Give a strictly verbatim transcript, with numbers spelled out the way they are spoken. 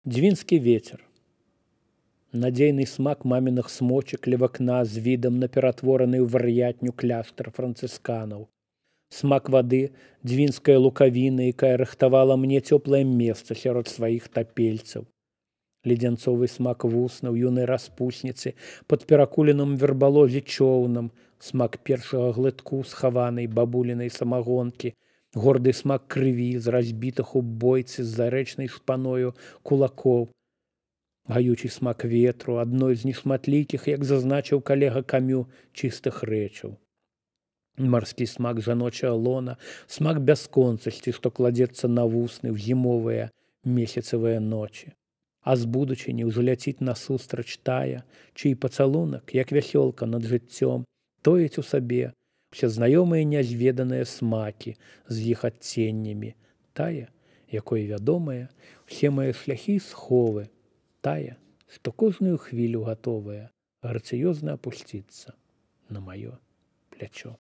Дзвінскі вецер. Надзейны смак маминых смочек ля вакна з відам на ператвораны ў вар'ятню кляштар францысканаў. Смак вады, дзвінская лукавіна, якая рыхтавала мне цёплае месца сярод сваіх тапельцаў. Ледзянцовы смак вуснаў юнай распусніцы пад перакуленым вербалозе чоўнам, смак першага глытку схаванай бабулінай самагонкі, горды смак крыві з разбітых у бойцы з зарэчнай шпаною кулакоў, гаючы смак ветру, адной з нешматлікіх, як зазначыў калега Камю, чыстых рэчаў. Марскі смак жаночая лона, смак бясконцасці, што кладзецца на вусны ў зімовыя месяцавыя ночы. А з будучыні ўзляціць насустрач тая, чый пацалунак, як вясёлка над жыццём, тоіць у сабе усе знаёмыя нязведаныя смакі з іх адценнямі, тая, якой вядомая, усе мае шляхі і сховы, тая, што кожную хвілю гатовая грацыёзна апусціцца на маё плячо.